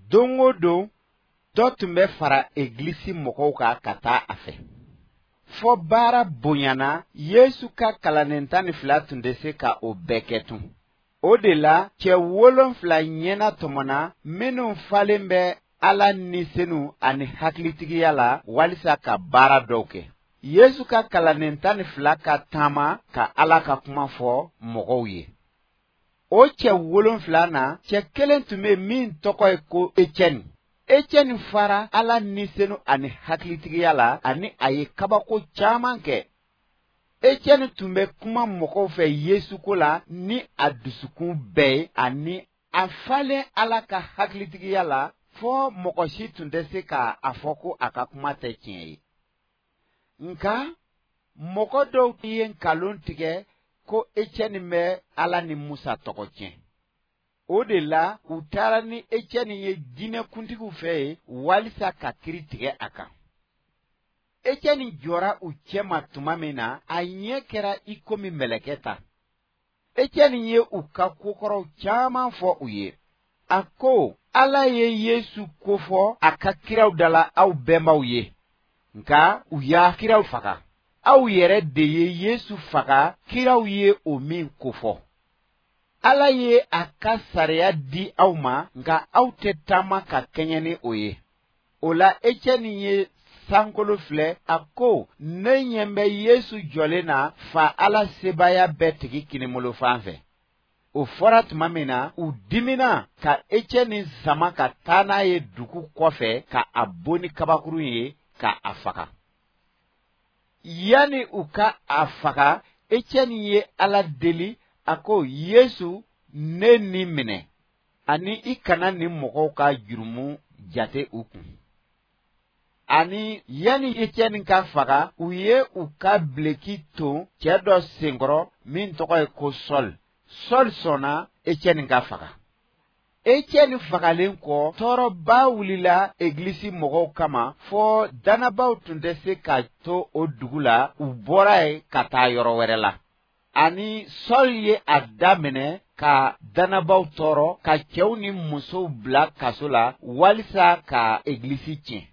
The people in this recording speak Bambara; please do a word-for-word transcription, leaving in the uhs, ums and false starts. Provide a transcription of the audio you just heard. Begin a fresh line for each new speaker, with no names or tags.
Don o don, dɔ tun bɛ fara egilisi mɔgɔw kan ka taa a fɛ. Fɔ baara bonyana, Yesu ka kalanden tan ni fila tun tɛ se ka o bɛɛ kɛ tun. O de la, cɛ wolonfila ɲɛna tɔmɔna minnu falen bɛ Ala ni senu ani hakilitigiya la walisa ka baara dɔw kɛ. Yesu ka kalanden tan ni fila ka taama ka Ala ka kuma fɔ mɔgɔw ye. O cɛ wolonfila na, cɛ kelen tun bɛ min tɔgɔ ye ko Etiɛni. Etiɛni fara Ala ni senu ani hakilitigiya la ani a ye kabako caman kɛ. Etiɛni tun bɛ kuma mɔgɔw fɛ Yesu ko la ni a dusukun bɛɛ ye ani a falen Ala ka hakilitigiya la fɔ mɔgɔ si tun tɛ se ka a fɔ ko a ka kuma tɛ tiɲɛ ye. Nka mɔgɔ dɔw ye nkalon tigɛ ko Etiɛni bɛ Ala ni Musa tɔgɔ tiɲɛ. O de la, u taara ni Etiɛni ye diinɛkuntigiw fɛ yen walisa ka kiri tigɛ a kan. Etiɛni jɔra u cɛma tuma min na, a ɲɛ kɛra i komi mɛlɛkɛ ta. Etiɛni ye u ka kokɔrɔw caman fɔ u ye. A ko, Ala ye Yesu kofɔ a ka kiraw da la aw bɛnbaw ye. Nka u y'a kiraw faga. Aw yɛrɛ de ye Yesu faga, kiraw ye o min kofɔ. Ala ye a ka sariya di aw ma, nka aw tɛ taama ka kɛɲɛ ni o ye. O la, Etiɛni ye sankolo filɛ, a ko, ne ɲɛ bɛ Yesu jɔlen na fa Ala sebaaya bɛɛ tigi kinibolo fan fɛ. O fɔra tuma min na, u dimina ka Etiɛni sama ka taa n'a ye dugu kɔfɛ ka a bon ni kabakurun ye ka a faga. Yanni u ka a faga, Etiɛni ye Ala deli, a ko, Yesu, ne ni minɛ, ani i kana nin mɔgɔw ka jurumu jate u kun. Ani yanni Etiɛni ka faga, u ye u ka bileki ton cɛ dɔ senkɔrɔ min tɔgɔ ye ko Sɔl. Sɔl sɔnna Etiɛni ka faga. Etiɛni fagalen kɔ, tɔɔrɔba wulila egilisi mɔgɔw kama fɔ dannabaw tun tɛ se ka to o dugu la, u bɔra yen ka taa yɔrɔ wɛrɛ la. Ani Sɔl ye a daminɛ ka dannabaw tɔɔrɔ, ka cɛw ni musow bila kaso la walisa ka egilisi tiɲɛ.